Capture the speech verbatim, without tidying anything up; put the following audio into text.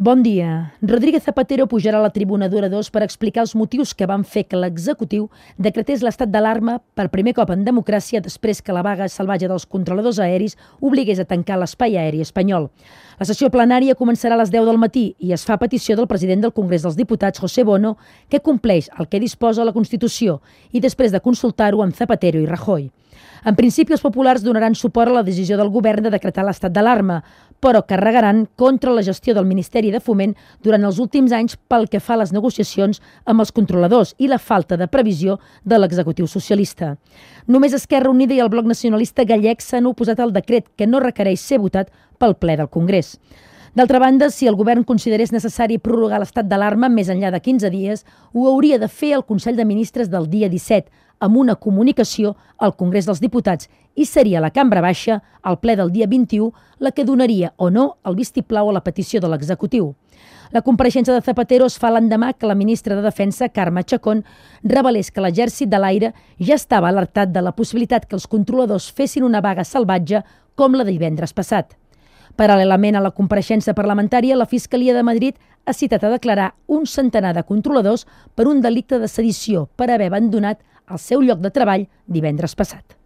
Bon dia. Rodríguez Zapatero pujarà a la tribuna d'oradors per explicar els motius que van fer que l'executiu decretés l'estat d'alarma per primer cop en democràcia després que la vaga salvatge dels controladors aeris obligués a tancar l'espai aeri espanyol. La sessió plenària començarà a les deu del matí i es fa a petició del president del Congrés dels Diputats, José Bono, que compleix el que disposa la Constitució i després de consultar-ho amb Zapatero i Rajoy. En principi, els populars donaran suport a la decisió del govern de decretar l'estat d'alarma, però carregaran contra la gestió del Ministeri de Foment durant els últims anys pel que fa a les negociacions amb els controladors i la falta de previsió de l'executiu socialista. Només Esquerra Unida i el Bloc Nacionalista Gallec s'han oposat al decret, que no requereix ser votat pel ple del Congrés. D'altra banda, si el govern considerés necessari prorrogar l'estat d'alarma més enllà de quinze dies, ho hauria de fer el Consell de Ministres del dia disset, amb una comunicació al Congrés dels Diputats, i seria la Cambra Baixa, al ple del dia vint-i-u, la que donaria o no el vistiplau a la petició de l'executiu. La compareixença de Zapatero es fa l'endemà que la ministra de Defensa, Carme Chacón, revelés que l'Exèrcit de l'Aire ja estava alertat de la possibilitat que els controladors fessin una vaga salvatge com la de divendres passat. Paral·lelament a la compareixença parlamentària, la Fiscalia de Madrid ha citat a declarar un centenar de controladors per un delicte de sedició per haver abandonat el seu lloc de treball divendres passat.